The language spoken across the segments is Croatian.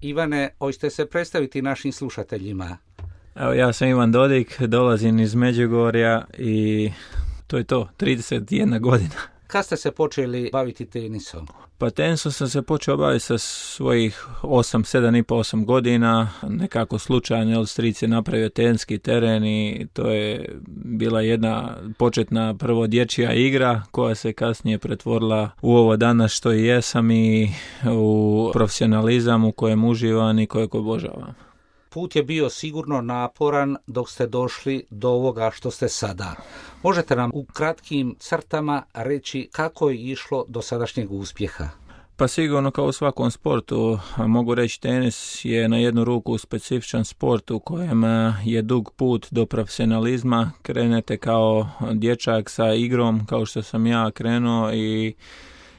Ivane, hoćete se predstaviti našim slušateljima? Evo, ja sam Ivan Dodik, dolazim iz Međugorja i to je to, 31 godina. Kad ste se počeli baviti tenisom? Pa tenisom sam se počeo baviti sa svojih 7,5-8 godina, nekako slučajno, jer stric je napravio teniski teren i to je bila jedna početna prvo dječja igra koja se kasnije pretvorila u ovo danas što i jesam i u profesionalizam u kojem uživam i kojeg obožavam. Put je bio sigurno naporan dok ste došli do ovoga što ste sada. Možete nam u kratkim crtama reći kako je išlo do sadašnjeg uspjeha? Pa sigurno kao u svakom sportu, mogu reći tenis je na jednu ruku specifičan sport u kojem je dug put do profesionalizma. Krenete kao dječak sa igrom kao što sam ja krenuo i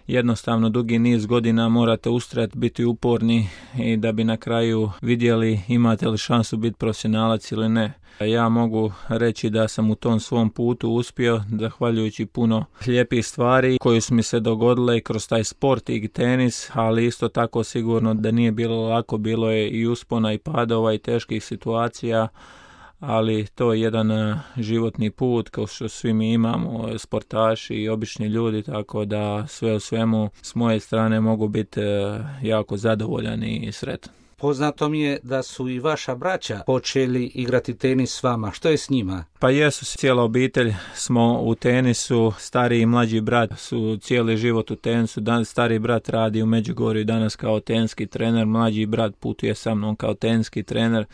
jednostavno dugi niz godina morate ustrajati, biti uporni i da bi na kraju vidjeli imate li šansu biti profesionalac ili ne. Ja mogu reći da sam u tom svom putu uspio, zahvaljujući puno lijepih stvari koje su mi se dogodile kroz taj sport i tenis, ali isto tako sigurno da nije bilo lako, bilo je i uspona i padova i teških situacija, ali to je jedan životni put kao što svi mi imamo, sportaši i obični ljudi, tako da sve u svemu s moje strane mogu biti jako zadovoljan i sretan. Poznato mi je da su i vaša braća počeli igrati tenis s vama. Što je s njima? Pa jesu, cijela obitelj smo u tenisu, stariji i mlađi brat su cijeli život u tenisu. Stari brat radi u Međugorju danas kao teniski trener, mlađi brat putuje sa mnom kao teniski trener.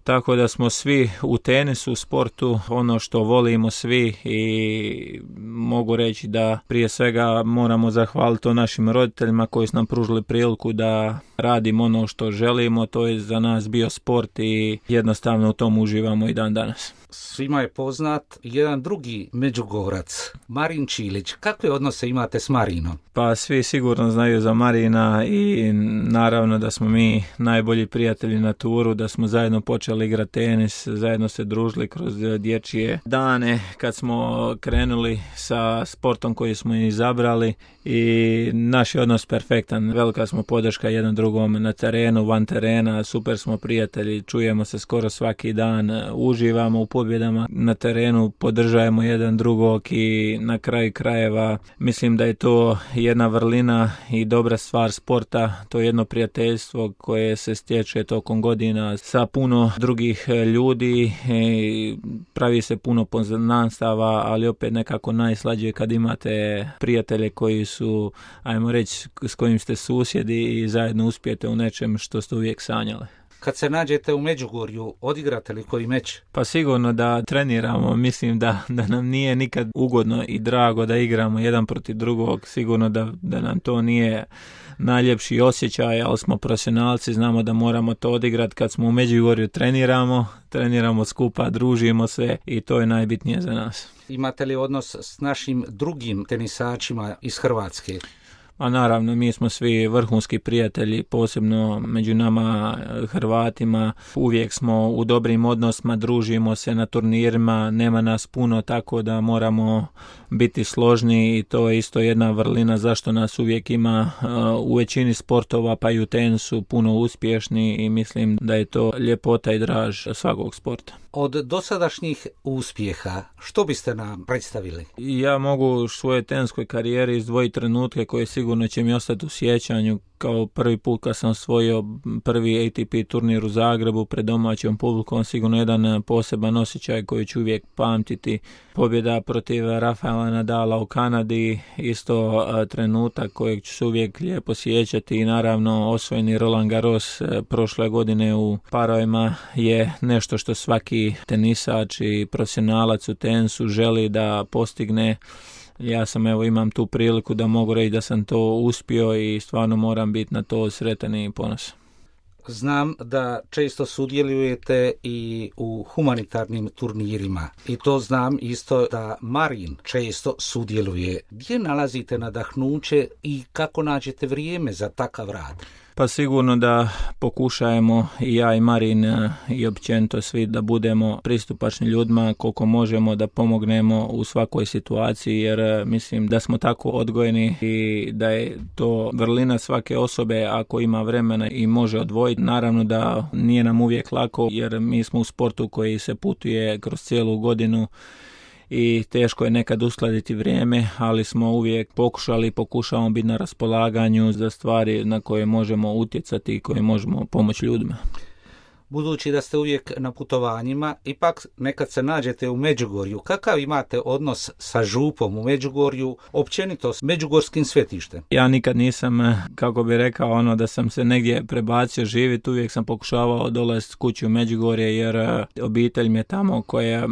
Tako da smo svi u tenisu, u sportu, ono što volimo svi i mogu reći da prije svega moramo zahvaliti našim roditeljima koji su nam pružili priliku da radimo ono što želimo. To je za nas bio sport i jednostavno u tom uživamo i dan danas. Svima je poznat jedan drugi Međugorac, Marin Čilić. Kakve odnose imate s Marinom? Pa svi sigurno znaju za Marina i naravno da smo mi najbolji prijatelji na turu, da smo zajedno počeli igrati tenis, zajedno se družili kroz dječje dane kad smo krenuli sa sportom koji smo izabrali i naš je odnos perfektan. Velika smo podrška jedan drugom na terenu, van terena, super smo prijatelji, čujemo se skoro svaki dan, uživamo u pobjedama na terenu, podržajemo jedan drugog i na kraju krajeva mislim da je to jedna vrlina i dobra stvar sporta, to je jedno prijateljstvo koje se stječe tokom godina sa puno drugih ljudi, pravi se puno poznanstava, ali opet nekako najslađe kad imate prijatelje koji su, ajmo reći, s kojim ste susjedi i zajedno uspijete u nečem što ste uvijek sanjali. Kad se nađete u Međugorju, odigrate li koji meč? Pa sigurno da treniramo, mislim da nam nije nikad ugodno i drago da igramo jedan protiv drugog, sigurno da nam to nije najljepši osjećaj, ali smo profesionalci, znamo da moramo to odigrati. Kad smo u Međugorju treniramo skupa, družimo se i to je najbitnije za nas. Imate li odnos s našim drugim tenisačima iz Hrvatske? A naravno, mi smo svi vrhunski prijatelji, posebno među nama Hrvatima. Uvijek smo u dobrim odnosima, družimo se na turnirima, nema nas puno, tako da moramo biti složni i to je isto jedna vrlina zašto nas uvijek ima u većini sportova, pa i u tenisu puno uspješni i mislim da je to ljepota i draž svakog sporta. Od dosadašnjih uspjeha, što biste nam predstavili? Ja mogu u svojoj tenskoj karijeri izdvojiti trenutke koje sigurno će mi ostati u sjećanju, kao prvi put kad sam osvojio prvi ATP turnir u Zagrebu pred domaćom publikom, sigurno jedan poseban osjećaj koji ću uvijek pamtiti. Pobjeda protiv Rafaela Nadala u Kanadi, isto trenutak kojeg ću se uvijek lijepo sjećati i naravno osvojeni Roland Garros prošle godine u parovima je nešto što svaki tenisač i profesionalac u tenisu želi da postigne. Ja imam tu priliku da mogu reći da sam to uspio i stvarno moram biti na to sretan i ponosan. Znam da često sudjelujete i u humanitarnim turnirima i to znam isto da Marin često sudjeluje. Gdje nalazite nadahnuće i kako nađete vrijeme za takav rad? Pa sigurno da pokušajemo i ja i Marin i općenito svi da budemo pristupačni ljudima koliko možemo, da pomognemo u svakoj situaciji, jer mislim da smo tako odgojeni i da je to vrlina svake osobe ako ima vremena i može odvojiti. Naravno da nije nam uvijek lako, jer mi smo u sportu koji se putuje kroz cijelu godinu i teško je nekad uskladiti vrijeme, ali smo uvijek pokušavamo biti na raspolaganju za stvari na koje možemo utjecati i koje možemo pomoći ljudima. Budući da ste uvijek na putovanjima, ipak nekad se nađete u Međugorju. Kakav imate odnos sa župom u Međugorju, općenito s međugorskim svetištem? Ja nikad nisam, kako bi rekao, da sam se negdje prebacio živjeti. Uvijek sam pokušavao dolaziti kući u Međugorje, jer obitelj mi je tamo koja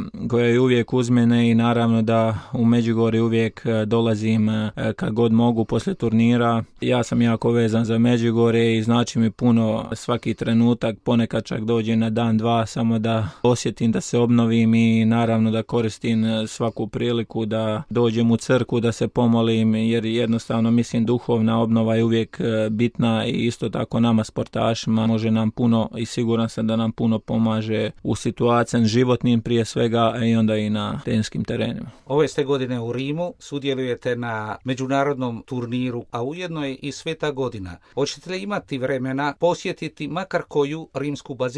je uvijek uz mene i naravno da u Međugorje uvijek dolazim kad god mogu poslije turnira. Ja sam jako vezan za Međugorje i znači mi puno svaki trenutak, ponekad čak dođem na dan, dva, samo da osjetim, da se obnovim i naravno da koristim svaku priliku da dođem u crkvu, da se pomolim, jer jednostavno mislim duhovna obnova je uvijek bitna i isto tako nama sportašima može nam puno i siguran sam da nam puno pomaže u situacijama životnim prije svega i onda i na tenskim terenima. Ove ste godine u Rimu, sudjelujete na međunarodnom turniru, a ujedno je i Sveta godina. Hoćete li imati vremena posjetiti makar koju rimsku baziliku?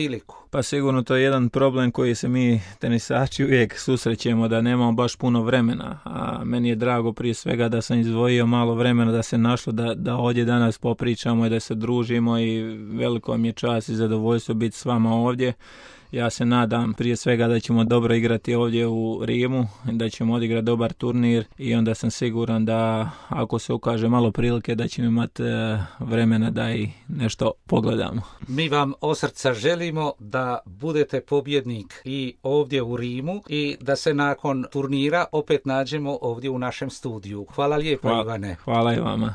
Pa sigurno to je jedan problem koji se mi tenisači uvijek susrećemo, da nemamo baš puno vremena, a meni je drago prije svega da sam izdvojio malo vremena, da se našlo da ovdje danas popričamo i da se družimo i veliko mi je čast i zadovoljstvo biti s vama ovdje. Ja se nadam prije svega da ćemo dobro igrati ovdje u Rimu, da ćemo odigrati dobar turnir i onda sam siguran da ako se ukaže malo prilike da ćemo imati vremena da i nešto pogledamo. Mi vam od srca želimo da budete pobjednik i ovdje u Rimu i da se nakon turnira opet nađemo ovdje u našem studiju. Hvala lijepo, Ivane. Hvala i vama.